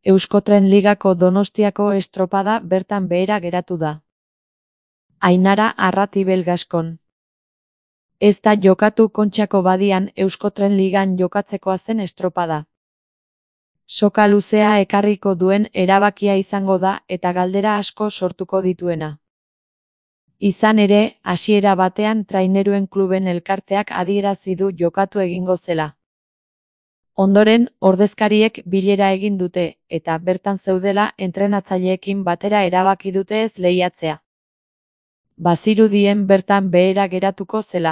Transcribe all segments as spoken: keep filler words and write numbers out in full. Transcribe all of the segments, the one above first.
Euskotren Ligako Donostiako estropada bertan behera geratu da. Ainara Arratibel Gaskon. Ez da jokatu Kontxako Badian Euskotren Ligan jokatzekoa zen estropada. Soka luzea ekarriko duen erabakia izango da eta galdera asko sortuko dituena. Izan ere, hasiera batean Traineruen Kluben Elkarteak adierazi du jokatu egingo zela. Ondoren, ordezkariek bilera egin dute, eta bertan zeudela entrenatzaileekin batera erabaki dute ez lehiatzea. Bazirudien bertan behera geratuko zela.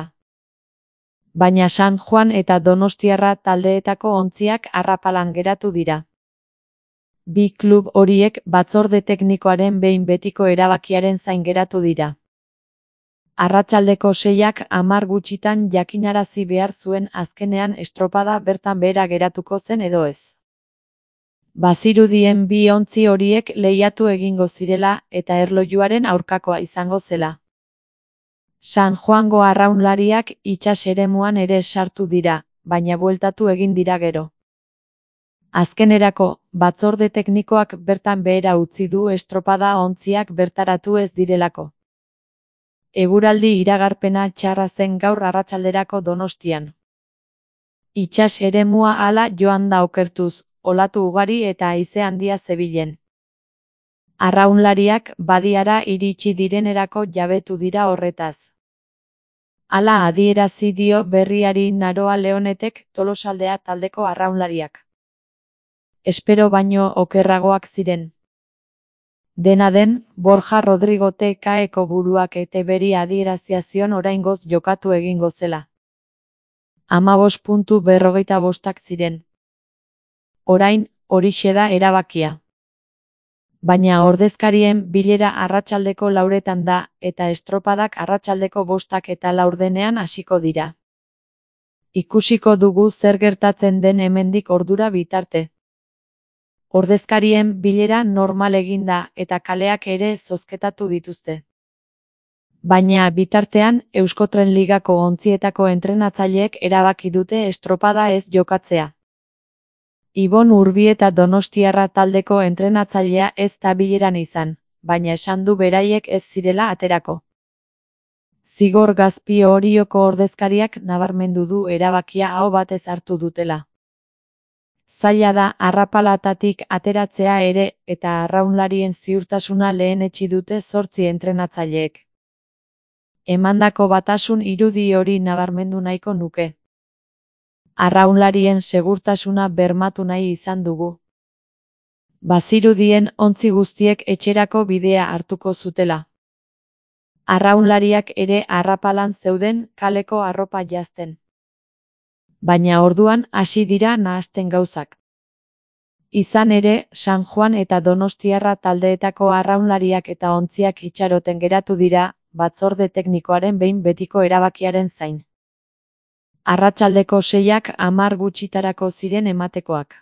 Baina San Juan eta Donostiarra taldeetako ontziak arrapalan geratu dira. Bi klub horiek batzorde teknikoaren behin betiko erabakiaren zain geratu dira. Arratsaldeko seiak hamar gutxitan jakinarazi behar zuen azkenean estropada bertan behera geratuko zen edo ez. Bazirudien bi ontzi horiek lehiatu egingo zirela eta erlojuaren aurkakoa izango zela. San Juango arraunlariak itsas eremuan ere sartu dira, baina bueltatu egin dira gero. Azkenerako, batzorde teknikoak bertan behera utzi du estropada ontziak bertaratu ez direlako. Eguraldi iragarpena txarra zen gaur arratsalderako Donostian. Itsas eremua hala joan da okertuz, olatu ugari eta haize handia zebilen. Arraunlariak badiara iritsi direnerako jabetu dira horretaz. Hala adierazi dio berriari Naroa Leonetek Tolosaldea taldeko arraunlariak. Espero baino okerragoak ziren. Dena den, Borja Rodrigo T K-eko buruak ete beri adierazia zion oraingoz jokatu egingo zela. Hamabost puntu berrogeita bostak ziren. Orain, horixe da erabakia. Baina ordezkarien bilera arratsaldeko lauretan da, eta estropadak arratsaldeko bostak eta laurdenean hasiko dira. Ikusiko dugu zer gertatzen den hemendik ordura bitarte. Ordezkarien bilera normal egin da eta kaleak ere zozketatu dituzte. Baina bitartean Euskotren Ligako ontzietako entrenatzaileek erabaki dute estropada ez jokatzea. Ibon Urbieta Donostiarra taldeko entrenatzailea ez da bileran izan, baina esan du beraiek ez zirela aterako. Zigor Gazpi Orioko ordezkariak nabarmendu du erabakia aho batez hartu dutela. Zaila da arrapalatatik ateratzea ere eta arraunlarien ziurtasuna lehenetsi dute zortzi entrenatzaileek. Emandako batasun irudi hori nabarmendu nahiko nuke. Arraunlarien segurtasuna bermatu nahi izan dugu. Bazirudien ontzi guztiek etxerako bidea hartuko zutela. Arraunlariak ere arrapalan zeuden kaleko arropa jazten. Baina orduan hasi dira nahasten gauzak. Izan ere, San Juan eta Donostiarra taldeetako arraunlariak eta ontziak itxaroten geratu dira, batzorde teknikoaren behin betiko erabakiaren zain. Arratsaldeko seiak hamar gutxitarako ziren ematekoak.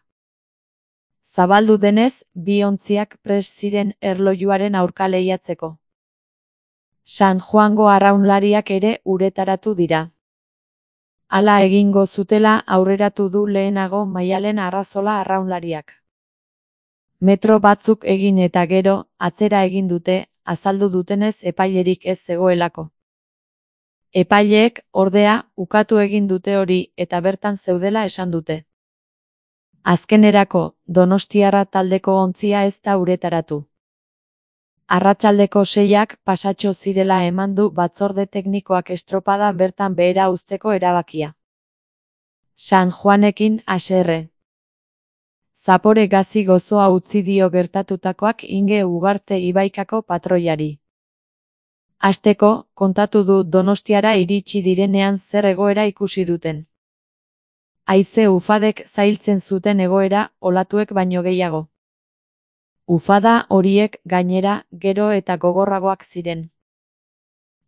Zabaldu denez, bi ontziak prest ziren erlojuaren aurka lehiatzeko. San Juango arraunlariak ere uretaratu dira. Hala egingo zutela aurreratu du lehenago Maialen Arrazola arraunlariak. Metro batzuk egin eta gero, atzera egin dute, azaldu dutenez epailerik ez zegoelako. Epaileek, ordea, ukatu egin dute hori eta bertan zeudela esan dute. Azkenerako, Donostiarra taldeko ontzia ez da uretaratu. Arratsaldeko seiak pasatxo zirela eman du batzorde teknikoak estropada bertan behera uzteko erabakia. San Juanekin haserre. Zapore gazi gozoa utzi dio gertatutakoak Inge Ugarte Ibaikako patroiari. Hasteko, kontatu du Donostiara iritsi direnean zer egoera ikusi duten. Haize ufadek zailtzen zuten egoera, olatuek baino gehiago. Ufada horiek gainera gero eta gogorragoak ziren.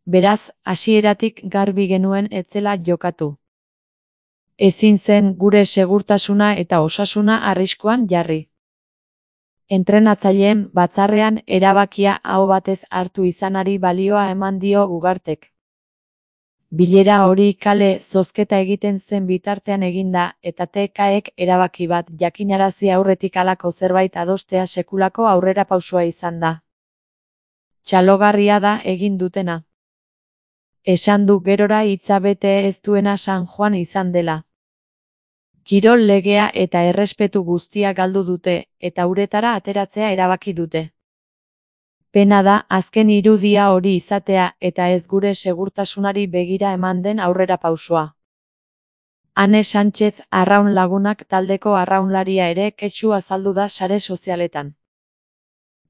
Beraz, hasieratik garbi genuen ez zela jokatu. Ezin zen gure segurtasuna eta osasuna arriskuan jarri. Entrenatzaileen batzarrean erabakia aho batez hartu izanari balioa eman dio Ugartek. Bilera hori kale zozketa egiten zen bitartean eginda eta T K-ek erabaki bat jakinarazi aurretik halako zerbait adostea sekulako aurrerapausoa izan da. Txalogarria da egin dutena. Esan du gerora hitza bete ez duena San Juan izan dela. Kirol legea eta errespetu guztia galdu dute, eta uretara ateratzea erabaki dute. Pena da azken irudia hori izatea eta ez gure segurtasunari begira eman den aurrerapausoa. Ane Sánchez arraun lagunak taldeko arraunlaria ere kexu azaldu da sare sozialetan.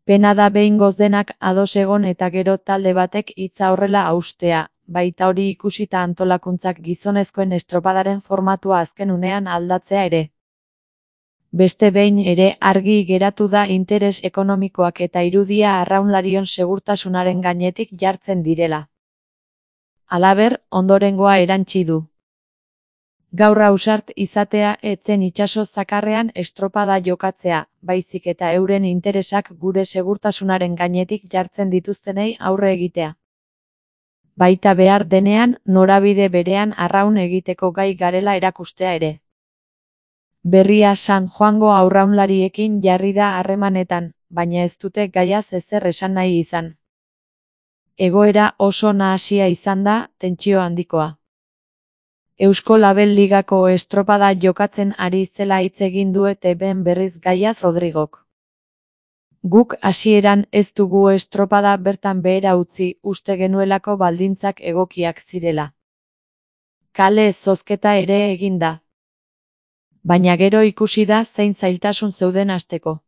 Pena da behingoz denak ados egon eta gero talde batek hitza horrela haustea, baita hori ikusita antolakuntzak gizonezkoen estropadaren formatua azken unean aldatzea ere. Beste behin ere argi geratu da interes ekonomikoak eta irudia arraunlarion segurtasunaren gainetik jartzen direla. Halaber, ondorengoa erantsi du. Gaur ausart izatea etzen itsaso zakarrean estropada jokatzea, baizik eta euren interesak gure segurtasunaren gainetik jartzen dituztenei aurre egitea. Baita behar denean, norabide berean arraun egiteko gai garela erakustea ere. Berria San Juango arraunlariekin jarri da harremanetan, baina ez dute gaiaz ezer esan nahi izan. Egoera oso nahasia izan da, tentsio handikoa. Eusko Label Ligako estropada jokatzen ari zela hitz egin du T V-n berriz gaiaz Rodrigok. Guk hasieran ez dugu estropada bertan behera utzi, uste genuelako baldintzak egokiak zirela. Kale zozketa ere egin da. Baina gero ikusi da zein zailtasun zeuden hasteko.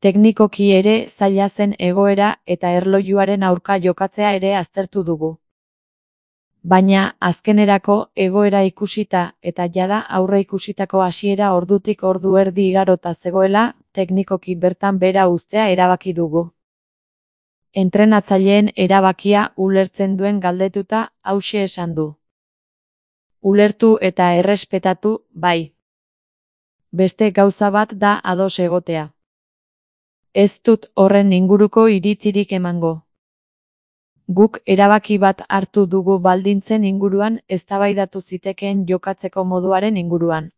Teknikoki ere zaila zen egoera eta erlojuaren aurka jokatzea ere aztertu dugu. Baina azkenerako egoera ikusita eta jada aurre ikusitako hasiera ordutik ordu erdi igarota zegoela, teknikoki bertan behera uztea erabaki dugu. Entrenatzaileen erabakia ulertzen duen galdetuta hauxe esan du. Ulertu eta errespetatu, bai. Beste gauza bat da ados egotea. Ez dut horren inguruko iritzirik emango. Guk erabaki bat hartu dugu baldintzen inguruan eztabaidatu zitekeen jokatzeko moduaren inguruan.